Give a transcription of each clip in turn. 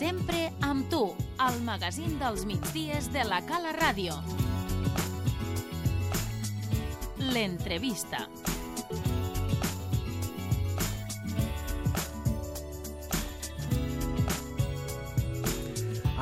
Sempre amb tu, al magazín dels migdies de la Cala Ràdio. L'entrevista.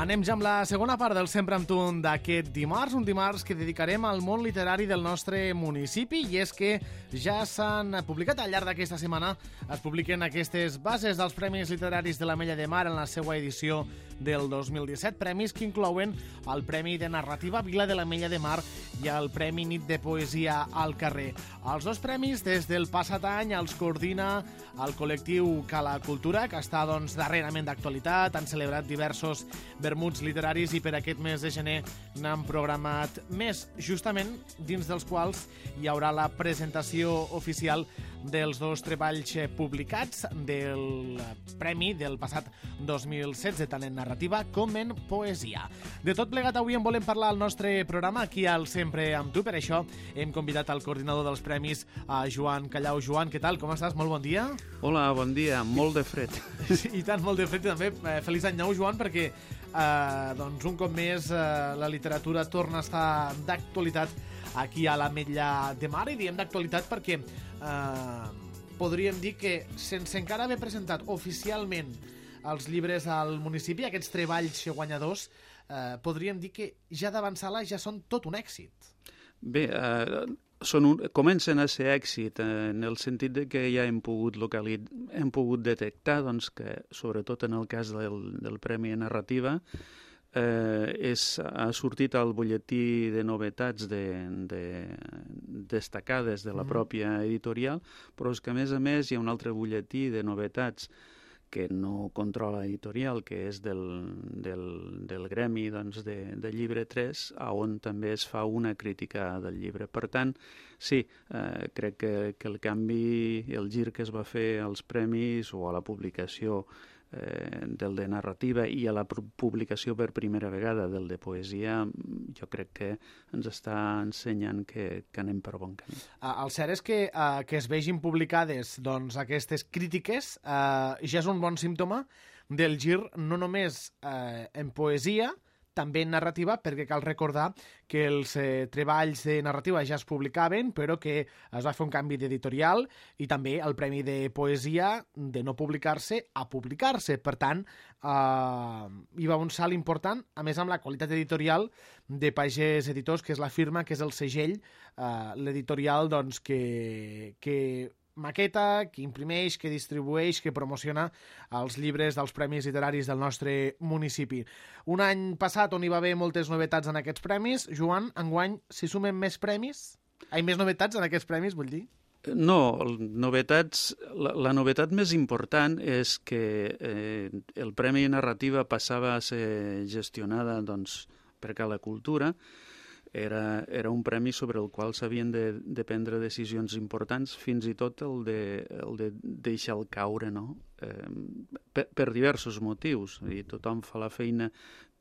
Anem ja amb la segona part del Sempre amb tu d'aquest dimarts, un dimarts que dedicarem al món literari del nostre municipi, i és que ja s'han publicat al llarg d'aquesta setmana, es publiquen aquestes bases dels Premis Literaris de l'Ametlla de Mar en la seva edició del 2017, premis que inclouen el Premi de Narrativa Vila de l'Ametlla de Mar i el Premi Nit de Poesia al Carrer. Els dos premis, des del passat any, els coordina el col·lectiu Cala Cultura, que està darrerament d'actualitat, han celebrat diversos vermuts literaris i per aquest mes de gener n'han programat més, justament dins dels quals hi haurà la presentació oficial dels dos treballs publicats del premi del passat 2016, tant en narrativa com en poesia. De tot plegat, avui en volem parlar al nostre programa aquí al Sempre amb tu. Per això hem convidat al coordinador dels premis, a Joan Callau. Joan, què tal? Com estàs? Molt bon dia. Hola, bon dia. Molt de fred. I tant, molt de fred també. Feliç any nou, Joan, perquè un cop més la literatura torna a estar d'actualitat aquí a l'Ametlla de Mar, i diem d'actualitat perquè podríem dir que sense encara haver presentat oficialment els llibres al municipi, aquests treballs guanyadors, podríem dir que ja d'avançar-la ja són tot un èxit. Bé, comencen a ser èxit en el sentit de que ja hem pogut detectar que, sobretot en el cas del Premi Narrativa, ha sortit al butlletí de novetats destacades de la pròpia editorial, però és que a més hi ha un altre butlletí de novetats que no controla editorial, que és del gremi de Llibre 3, on també es fa una crítica del llibre. Per tant, sí, crec que el canvi, el gir que es va fer als premis o a la publicació del de narrativa i a la publicació per primera vegada del de poesia, jo crec que ens està ensenyant que anem per bon camí. El cert és que es vegin publicades aquestes crítiques ja és un bon símptoma del gir, no només en poesia, també en narrativa, perquè cal recordar que els treballs de narrativa ja es publicaven, però que es va fer un canvi d'editorial, i també el Premi de Poesia de no publicar-se a publicar-se. Per tant, hi va un salt important, a més amb la qualitat editorial de Pagès Editors, que és la firma, que és el segell, l'editorial que maqueta, que imprimeix, que distribueix, que promociona els llibres dels premis literaris del nostre municipi. Un any passat on hi va haver moltes novetats en aquests premis. Joan, enguany s'hi sumen més premis? Més novetats en aquests premis, vull dir? No, novetats. La novetat més important és que el Premi Narrativa passava a ser gestionada per Cala Cultura. Era un premi sobre el qual s'havien de prendre decisions importants, fins i tot el de deixar-lo caure, no? Per diversos motius. I tothom fa la feina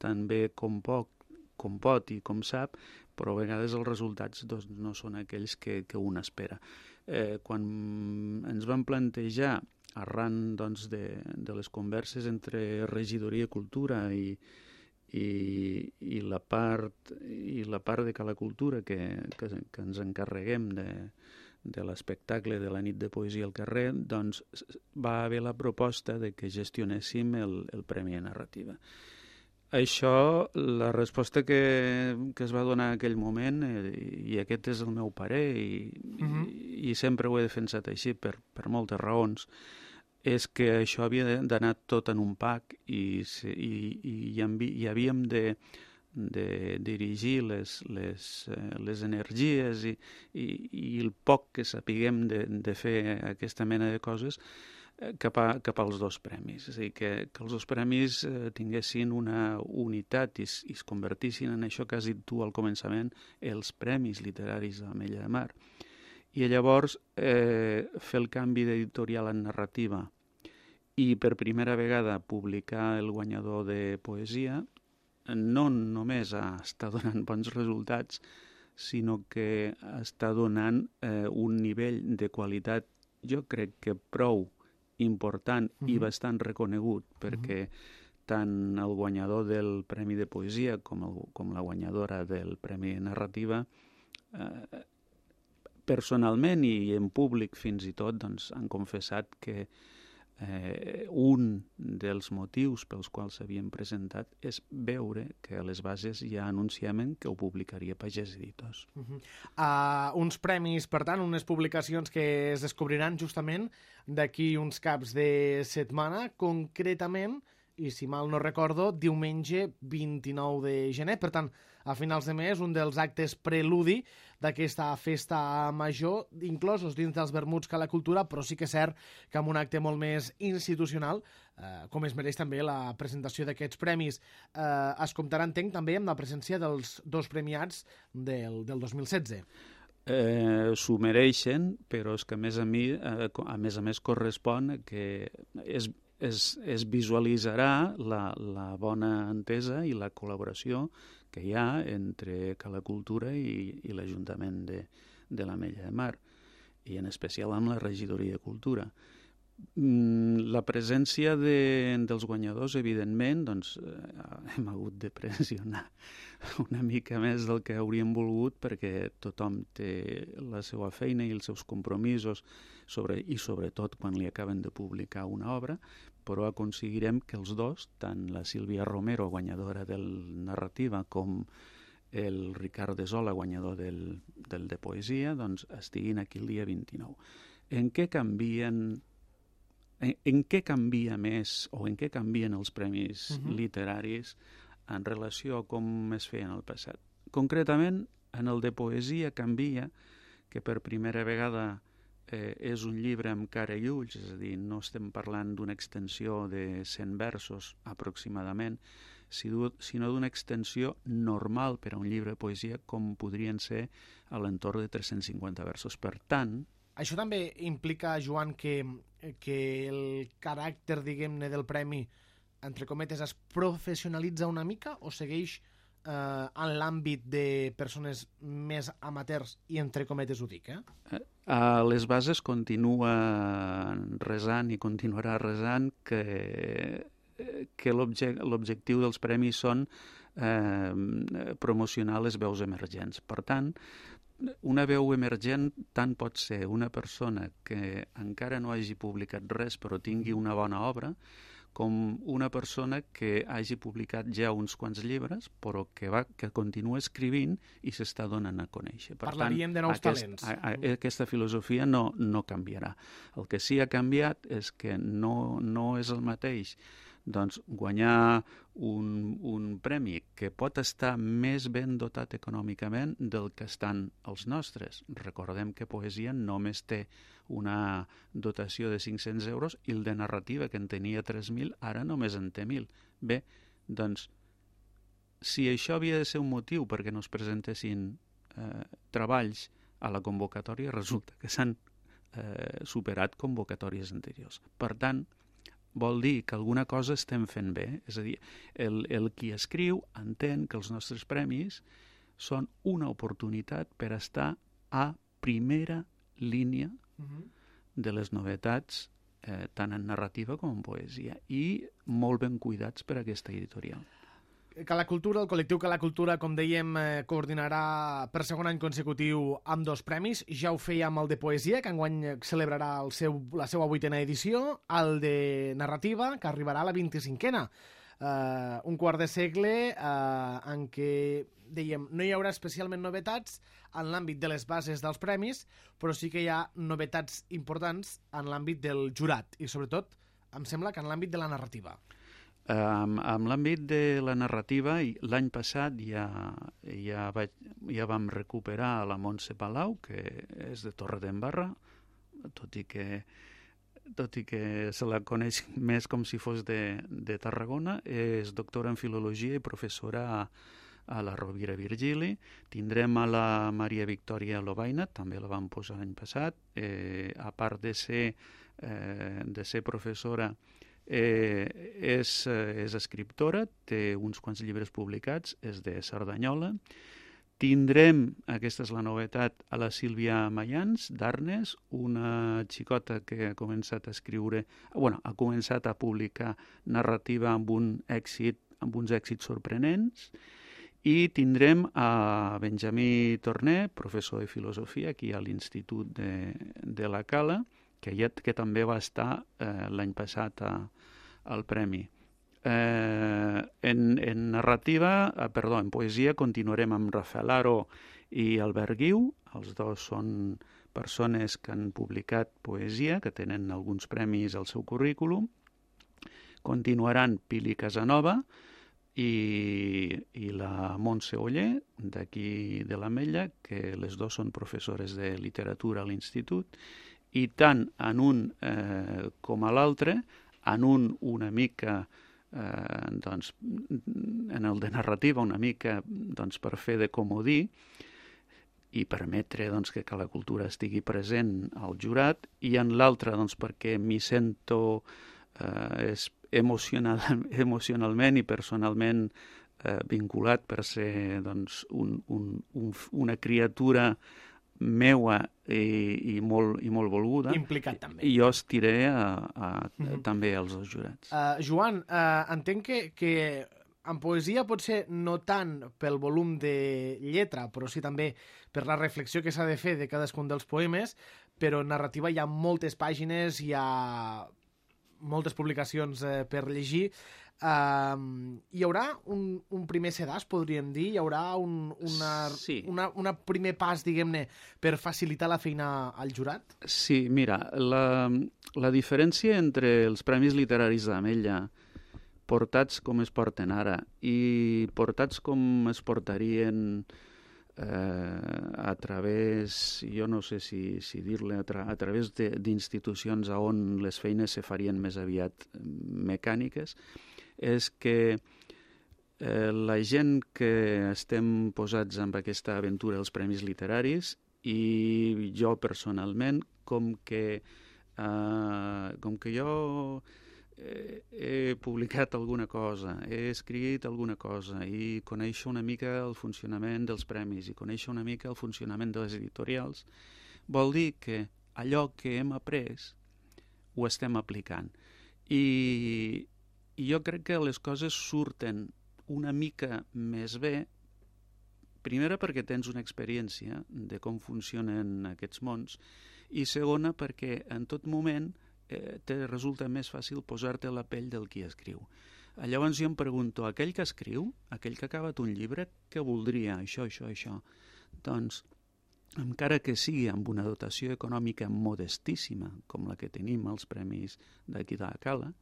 tan bé com pot i com sap, però a vegades els resultats no són aquells que un espera. Quan ens vam plantejar, arran de les converses entre Regidoria de Cultura i la part de Cala Cultura que ens encarreguem de l'espectacle de la nit de poesia al carrer, va haver la proposta de que gestionéssim el Premi de Narrativa. Això, la resposta que es va donar en aquell moment, i aquest és el meu parer, i sempre ho he defensat així per moltes raons, és que això havia d'anar tot en un pack i havíem de dirigir les energies i el poc que sapiguem de fer aquesta mena de coses cap als dos premis. És a dir, que els dos premis tinguessin una unitat i es convertissin en això que has dit tu al començament, els Premis Literaris de l'Ametlla de Mar. I llavors fer el canvi d'editorial en narrativa i per primera vegada publicar el guanyador de poesia no només està donant bons resultats, sinó que està donant un nivell de qualitat, jo crec que prou important i bastant reconegut, perquè tant el guanyador del Premi de Poesia com la guanyadora del Premi de Narrativa, personalment i en públic fins i tot, doncs, han confessat que un dels motius pels quals s'havien presentat és veure que a les bases ja anunciaven que ho publicaria Pagès Editors. Uns premis, per tant, unes publicacions que es descobriran justament d'aquí uns caps de setmana, concretament, i si mal no recordo, diumenge 29 de gener. Per tant, a finals de mes, un dels actes preludi d'aquesta festa major, inclosos dins dels vermuts Cala Cultura, però sí que és cert que amb un acte molt més institucional, com es mereix també la presentació d'aquests premis. Es comptarà, entenc, també amb la presència dels dos premiats del 2016. S'ho mereixen, però és que a més correspon que es visualitzarà la bona entesa i la col·laboració que hi ha entre Cala Cultura i l'Ajuntament de l'Ametlla de Mar, i en especial amb la Regidoria de Cultura. La presència dels guanyadors, evidentment, doncs, hem hagut de pressionar una mica més del que hauríem volgut, perquè tothom té la seva feina i els seus compromisos, i sobretot quan li acaben de publicar una obra, però aconseguirem que els dos, tant la Sílvia Romero, guanyadora del Narrativa, com el Ricard de Sola, guanyador del de Poesia, doncs estiguin aquí el dia 29. En què canvia més o en què canvien els premis literaris en relació a com es feien al passat? Concretament, en el de Poesia canvia que per primera vegada és un llibre amb cara i ulls, és a dir, no estem parlant d'una extensió de 100 versos aproximadament, sinó d'una extensió normal per a un llibre de poesia com podrien ser a l'entorn de 350 versos. Per tant... Això també implica, Joan, que el caràcter, diguem-ne, del premi, entre cometes, es professionalitza una mica o segueix en l'àmbit de persones més amateurs, i entre cometes ho dic, A les bases continua resant i continuarà resant que l'objectiu dels premis són promocionar les veus emergents. Per tant, una veu emergent tant pot ser una persona que encara no hagi publicat res però tingui una bona obra, com una persona que hagi publicat ja uns quants llibres, però que continua escrivint i s'està donant a conèixer. Per Parlaríem de nous talents. Aquesta filosofia no canviarà. El que sí ha canviat és que no és el mateix guanyar un premi que pot estar més ben dotat econòmicament del que estan els nostres. Recordem que Poesia només té una dotació de 500 euros i el de Narrativa, que en tenia 3.000, ara només en té 1.000. Bé, doncs, si això havia de ser un motiu perquè no es presentessin treballs a la convocatòria, resulta que s'han superat convocatòries anteriors. Per tant, vol dir que alguna cosa estem fent bé. És a dir, el qui escriu entén que els nostres premis són una oportunitat per estar a primera línia de les novetats, tant en narrativa com en poesia, i molt ben cuidats per aquesta editorial. Cala Cultura, el col·lectiu Cala Cultura, com dèiem, coordinarà per segon any consecutiu amb dos premis. Ja ho feia amb el de Poesia, que enguany celebrarà la seva 8a edició, el de Narrativa, que arribarà a la 25a. Un quart de segle en què, dèiem, no hi haurà especialment novetats en l'àmbit de les bases dels premis, però sí que hi ha novetats importants en l'àmbit del jurat i, sobretot, em sembla que en l'àmbit de la narrativa. Amb l'àmbit de la narrativa, l'any passat ja vam recuperar la Montse Palau, que és de Torredembarra, tot i que se la coneix més com si fos de Tarragona. És doctora en Filologia i professora a la Rovira Virgili. Tindrem a la Maria Victòria Lobaina, també la vam posar l'any passat. A part de ser professora, és escriptora, té uns quants llibres publicats, és de Cerdanyola. Tindrem, aquesta és la novetat, a la Sílvia Mayans, d'Arnes, una xicota que ha començat a escriure, ha començat a publicar narrativa amb uns èxits sorprenents, i tindrem a Benjamí Torné, professor de filosofia aquí a l'Institut de la Cala, que també va estar l'any passat al Premi. En poesia continuarem amb Rafael Aro i Albert Guiu. Els dos són persones que han publicat poesia, que tenen alguns premis al seu currículum. Continuaran Pili Casanova i la Montse Oller, d'aquí de l'Ametlla, que les dos són professores de literatura a l'Institut, i tant en un com a l'altre, en un una mica en el de narrativa una mica per fer de comodí i permetre que la cultura estigui present al jurat, i en l'altre perquè m'hi sento emocionalment i personalment vinculat per ser una criatura meua i molt volguda. Implicat també. I jo estiré també als dos jurats. Joan, entenc que en poesia potser no tant pel volum de lletra, però sí també per la reflexió que s'ha de fer de cadascun dels poemes, però en narrativa hi ha moltes pàgines, hi ha moltes publicacions per llegir. Hi haurà un primer sedàs, podríem dir? Hi haurà un primer pas, diguem-ne, per facilitar la feina al jurat? Sí, mira, la diferència entre els Premis Literaris d'Ametlla, portats com es porten ara, i portats com es portarien a través, jo no sé si dir-le, a través d'institucions on les feines se farien més aviat mecàniques, és que la gent que estem posats en aquesta aventura dels Premis Literaris, i jo personalment, com que jo he publicat alguna cosa, he escrit alguna cosa i coneixo una mica el funcionament dels premis i coneixo una mica el funcionament de les editorials, vol dir que allò que hem après ho estem aplicant. I jo crec que les coses surten una mica més bé, primera perquè tens una experiència de com funcionen aquests mons, i segona perquè en tot moment te resulta més fàcil posar-te a la pell del qui escriu. Llavors jo em pregunto, aquell que escriu, aquell que ha acabat un llibre, què voldria? Això. Doncs, encara que sigui amb una dotació econòmica modestíssima, com la que tenim als premis d'aquí de la Cala,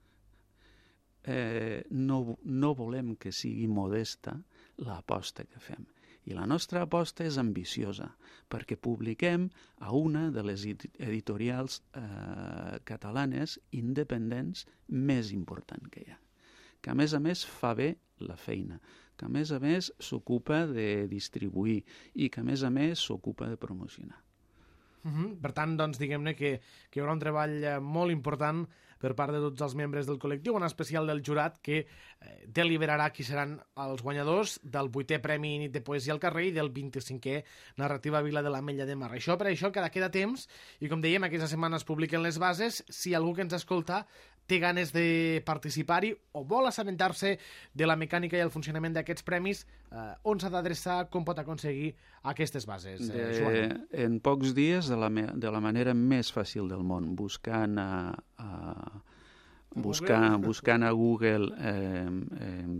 no volem que sigui modesta l'aposta que fem. I la nostra aposta és ambiciosa, perquè publiquem a una de les editorials catalanes independents més important que hi ha, que a més fa bé la feina, que a més s'ocupa de distribuir i que a més s'ocupa de promocionar. Per tant, doncs, diguem-ne que hi haurà un treball molt important per part de tots els membres del col·lectiu, en especial del jurat, que deliberarà qui seran els guanyadors del 8è Premi Nit de Poesia al Carrer i del 25è Narrativa Vila de l'Ametlla de Mar. Per això queda temps, i com dèiem, aquesta setmana es publiquen les bases. Si algú que ens escolta té ganes de participar-hi o vol assabentar-se de la mecànica i el funcionament d'aquests premis, on s'ha d'adreçar, com pot aconseguir aquestes bases, Joan? En pocs dies, de la manera més fàcil del món, buscant a Google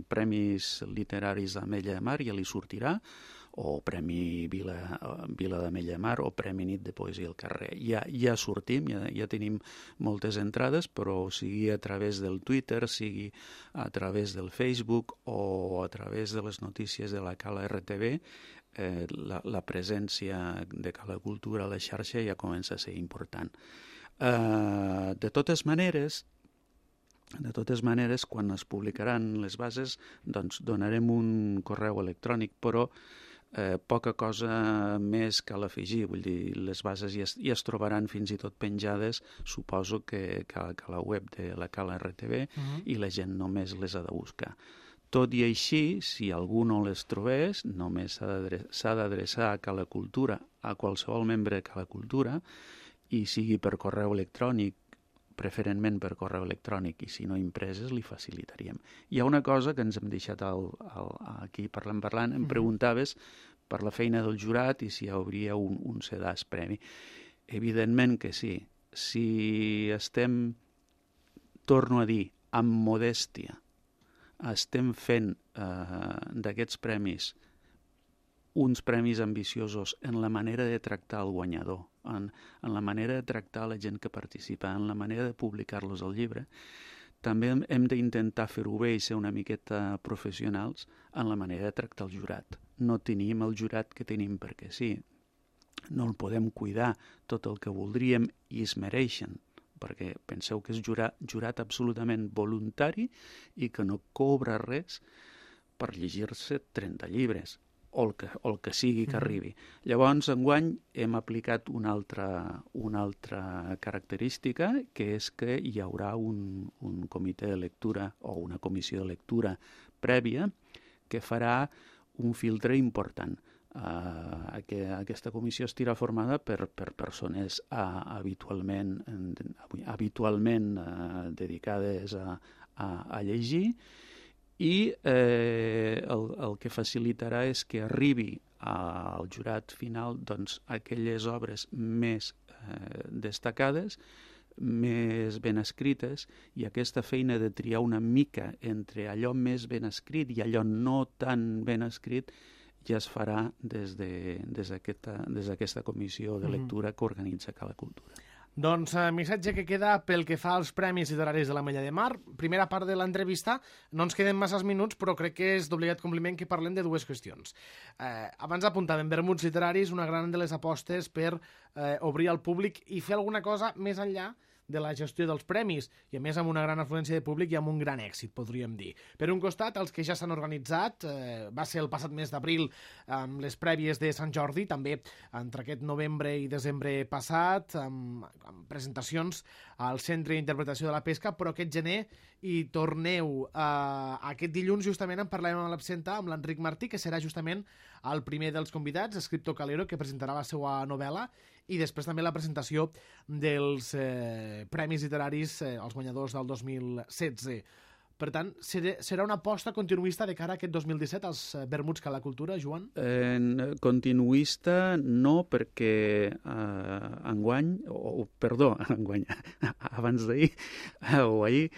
Premis Literaris d'Ametlla de Mar, ja li sortirà, o Premi Vila d'Ametlla de Mar, o Premi Nit de Poesia al Carrer. Ja sortim, ja tenim moltes entrades, però sigui a través del Twitter, sigui a través del Facebook o a través de les notícies de la Cala RTV, la presència de Cala Cultura a la xarxa ja comença a ser important. De totes maneres, quan es publicaran les bases, doncs donarem un correu electrònic, però poca cosa més cal afegir. Vull dir, les bases ja es trobaran fins i tot penjades, suposo que a la web de la Cala RTV, i la gent només les ha de buscar. Tot i així, si algú no les trobés, només s'ha d'adreçar a Cala Cultura, a qualsevol membre de Cala Cultura, i sigui per correu electrònic, preferentment per correu electrònic, i si no impreses li facilitaríem. Hi ha una cosa que ens hem deixat aquí parlant, em preguntaves per la feina del jurat i si hi hauria un sedàs premi. Evidentment que sí. Si estem, torno a dir, amb modèstia, estem fent d'aquests premis uns premis ambiciosos en la manera de tractar el guanyador, en la manera de tractar la gent que participa, en la manera de publicar-los al llibre, també hem d'intentar fer-ho bé i ser una miqueta professionals en la manera de tractar el jurat. No tenim el jurat que tenim perquè sí. No el podem cuidar tot el que voldríem i es mereixen, perquè penseu que és jurat absolutament voluntari i que no cobra res per llegir-se 30 llibres, o el que sigui que arribi. Llavors, enguany, hem aplicat una altra característica, que és que hi haurà un comitè de lectura o una comissió de lectura prèvia que farà un filtre important. Aquesta comissió estarà formada per persones habitualment dedicades a llegir, i el que facilitarà és que arribi al jurat final aquelles obres més destacades, més ben escrites, i aquesta feina de triar una mica entre allò més ben escrit i allò no tan ben escrit ja es farà des d'aquesta comissió de lectura que organitza Cala Cultura. Doncs missatge que queda pel que fa als Premis Literaris de l'Ametlla de Mar. Primera part de l'entrevista, no ens queden masses minuts, però crec que és d'obligat compliment que parlem de dues qüestions. Abans apuntàvem vermuts literaris, una gran de les apostes per obrir al públic i fer alguna cosa més enllà de la gestió dels premis, i a més amb una gran afluència de públic i amb un gran èxit, podríem dir. Per un costat, els que ja s'han organitzat, va ser el passat mes d'abril amb les prèvies de Sant Jordi, també entre aquest novembre i desembre passat, amb presentacions al Centre d'Interpretació de la Pesca, però aquest gener hi torneu. Aquest dilluns justament en parlem amb l'absenta, amb l'Enric Martí, que serà justament el primer dels convidats, escriptor calero, que presentarà la seva novel·la, i després també la presentació dels premis literaris, els guanyadors del 2016. Per tant, serà una aposta continuista de cara a aquest 2017 als vermuts Cala Cultura, Joan? Continuista no, perquè enguany, abans d'ahir o ahir,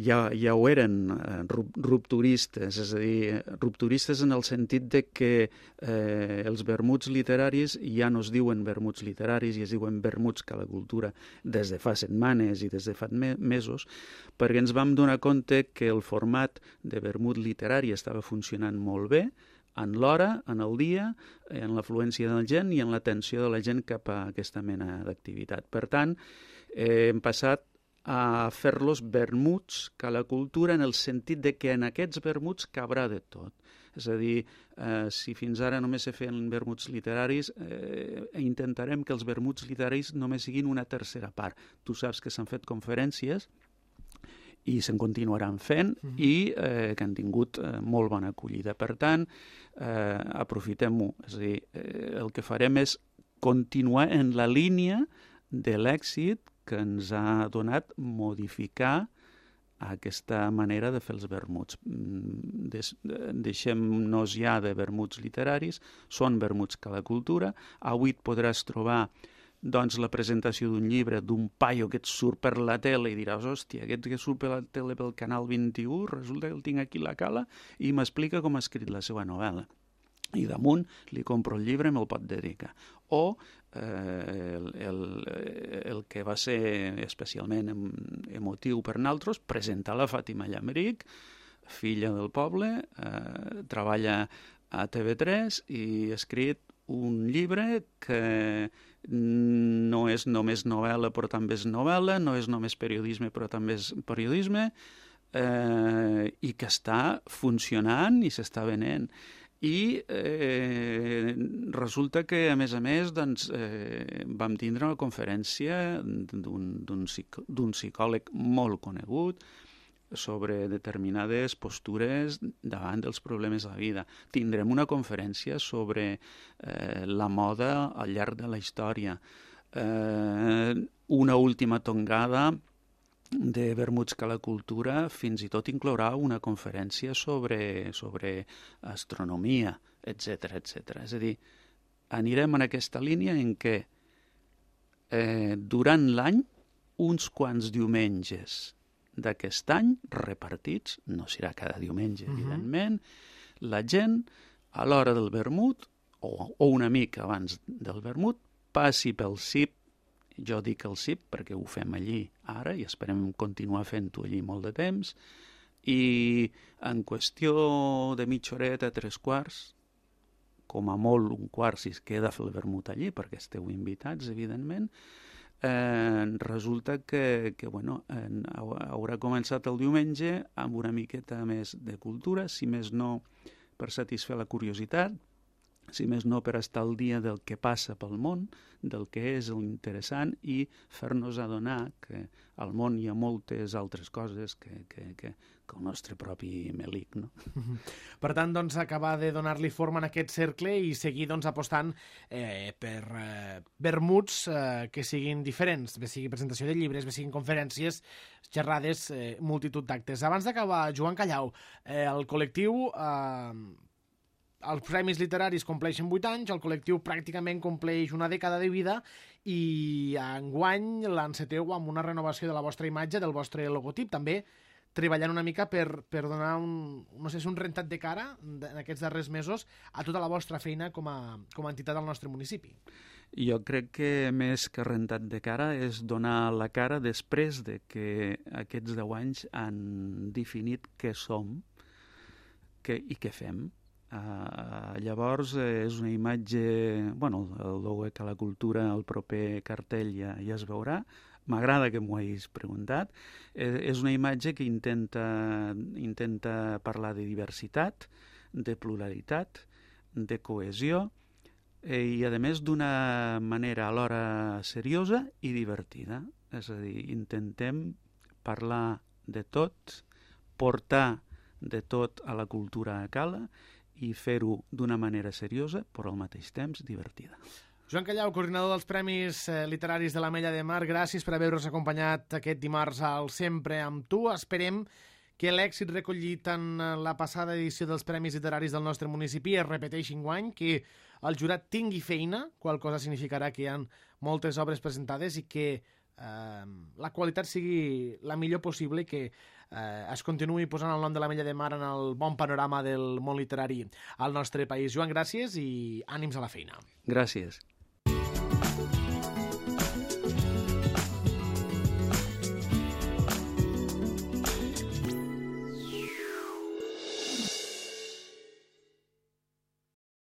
ja ho eren rupturistes, és a dir, rupturistes en el sentit de que els vermuts literaris ja no es diuen vermuts literaris, ja es diuen vermuts Cala Cultura des de fa setmanes i des de fa mesos, perquè ens vam donar compte que el format de vermut literari estava funcionant molt bé en l'hora, en el dia, en l'afluència de la gent i en l'atenció de la gent cap a aquesta mena d'activitat. Per tant, hem passat a fer-los vermuts Cala Cultura en el sentit de que en aquests vermuts cabrà de tot. És a dir, si fins ara només se feien vermuts literaris, intentarem que els vermuts literaris només siguin una tercera part. Tu saps que s'han fet conferències i se'n continuaran fent i que han tingut molt bona acollida. Per tant, aprofitem-ho. És a dir, el que farem és continuar en la línia de l'èxit que ens ha donat modificar aquesta manera de fer els vermuts. Deixem-nos ja de vermuts literaris, són vermuts Cala Cultura. Avui et podràs trobar la presentació d'un llibre d'un paio que et surt per la tele i diràs, hòstia, aquest que surt per la tele pel canal 21, resulta que el tinc aquí a la cala i m'explica com ha escrit la seva novel·la. I damunt li compro el llibre i me'l pot dedicar. O el que va ser especialment emotiu per nosaltres, presentar la Fàtima Llameric, filla del poble, treballa a TV3 i ha escrit un llibre que no és només novel·la però també és novel·la, no és només periodisme però també és periodisme, i que està funcionant i s'està venent. I resulta que, a més, vam tindre una conferència d'un psicòleg molt conegut, sobre determinades postures davant dels problemes de la vida. Tindrem una conferència sobre la moda al llarg de la història. Una última tongada de vermuts que la cultura fins i tot inclourà una conferència sobre astronomia, etc etc. És a dir, anirem en aquesta línia en què durant l'any uns quants diumenges d'aquest any, repartits, no serà cada diumenge, evidentment, la gent, a l'hora del vermut, o una mica abans del vermut, passi pel CIP, jo dic el CIP perquè ho fem allí ara i esperem continuar fent-ho allí molt de temps, i en qüestió de mitja horeta, 3/4, com a molt 1/4 si es queda a fer el vermut allí, perquè esteu invitats, evidentment, resulta que haurà començat el diumenge amb una miqueta més de cultura, si més no per satisfer la curiositat, si més no per estar al dia del que passa pel món, del que és l'interessant i fer-nos adonar que al món hi ha moltes altres coses que el nostre propi melic, no? Per tant, doncs, acabar de donar-li forma en aquest cercle i seguir apostant per vermuts que siguin diferents, bé sigui presentació de llibres, bé siguin conferències, xerrades, multitud d'actes. Abans d'acabar, Joan Callau, el col·lectiu... Els premis literaris compleixen 8 anys, el col·lectiu pràcticament compleix una dècada de vida i enguany l'enceteu amb una renovació de la vostra imatge, del vostre logotip, també treballant una mica per donar un rentat de cara en aquests darrers mesos a tota la vostra feina com a entitat del nostre municipi. Jo crec que més que rentat de cara és donar la cara després de que aquests 10 anys han definit què som i què fem. Llavors és una imatge, el logo que la cultura, el proper cartell ja es veurà, m'agrada que m'ho hagis preguntat, és una imatge que intenta parlar de diversitat, de pluralitat, de cohesió i a més d'una manera alhora seriosa i divertida, és a dir, intentem parlar de tot, portar de tot a la cultura a Cala i fer-ho d'una manera seriosa, però al mateix temps divertida. Joan Callau, coordinador dels Premis Literaris de l'Ametlla de Mar, gràcies per haver-nos acompanyat aquest dimarts al Sempre amb tu. Esperem que l'èxit recollit en la passada edició dels Premis Literaris del nostre municipi es repeteixi enguany, que el jurat tingui feina, qual cosa significarà que hi ha moltes obres presentades i que la qualitat sigui la millor possible i que es continuï posant el nom de l'Ametlla de Mar en el bon panorama del món literari al nostre país. Joan, gràcies i ànims a la feina. Gràcies.